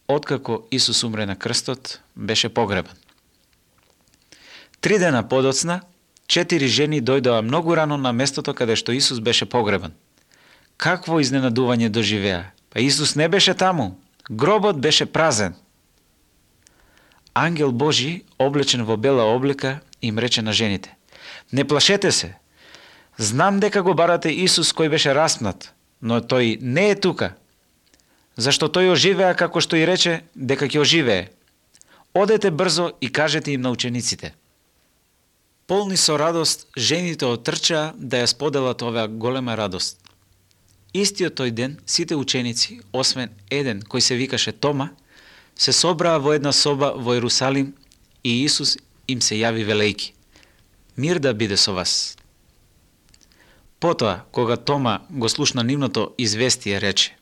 откако Исус умре на крстот, беше погребан. 3 дена подоцна, 4 жени дојдоа многу рано на местото каде што Исус беше погребан. Какво изненадување доживеа? Па Исус не беше таму, гробот беше празен. Ангел Божи, облечен во бела облека, им рече на жените: не плашете се. Знам дека го барате Исус кој беше распнат, но тој не е тука. Зашто тој оживеа како што и рече дека ќе оживее. Одете брзо и кажете им на учениците. Полни со радост, жените отрчаа да ја споделат оваа голема радост. Истиот тој ден, сите ученици, освен еден кој се викаше Тома, се собраа во една соба во Ерусалим и Исус им се јави велејки: мир да биде со вас. Потоа, кога Тома го слушна нивното известие, рече: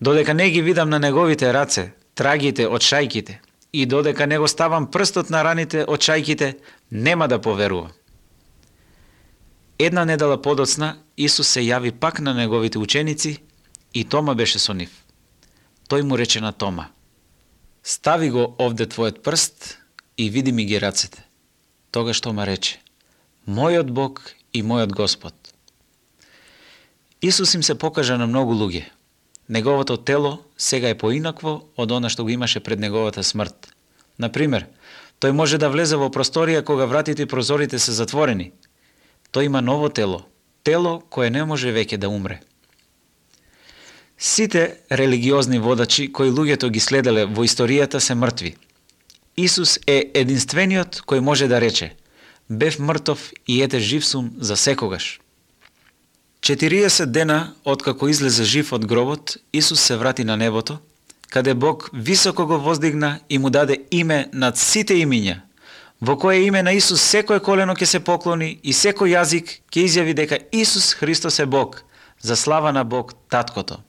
додека не ги видам на неговите раце, трагите од шајките, и додека не го ставам прстот на раните од шајките, нема да поверувам. Една недела подоцна, Исус се јави пак на неговите ученици и Тома беше со нив. Тој му рече на Тома: стави го овде твојот прст и види ми ги рацете. Тогаш Тома рече: мојот Бог и мојот Господ. Исус им се покажа на многу луѓе. Неговото тело сега е поинакво од она што го имаше пред неговата смрт. Например, тој може да влезе во просторија кога вратите и прозорите се затворени. Тој има ново тело, тело кое не може веќе да умре. Сите религиозни водачи кои луѓето ги следеле во историјата се мртви. Исус е единствениот кој може да рече: бев мртов и ете жив сум за секогаш. 40 дена откако излезе жив од гробот, Исус се врати на небото, каде Бог високо го воздигна и му даде име над сите имиња, во кое име на Исус секој колено ќе се поклони и секој јазик ќе изјави дека Исус Христос е Бог, за слава на Бог Таткото.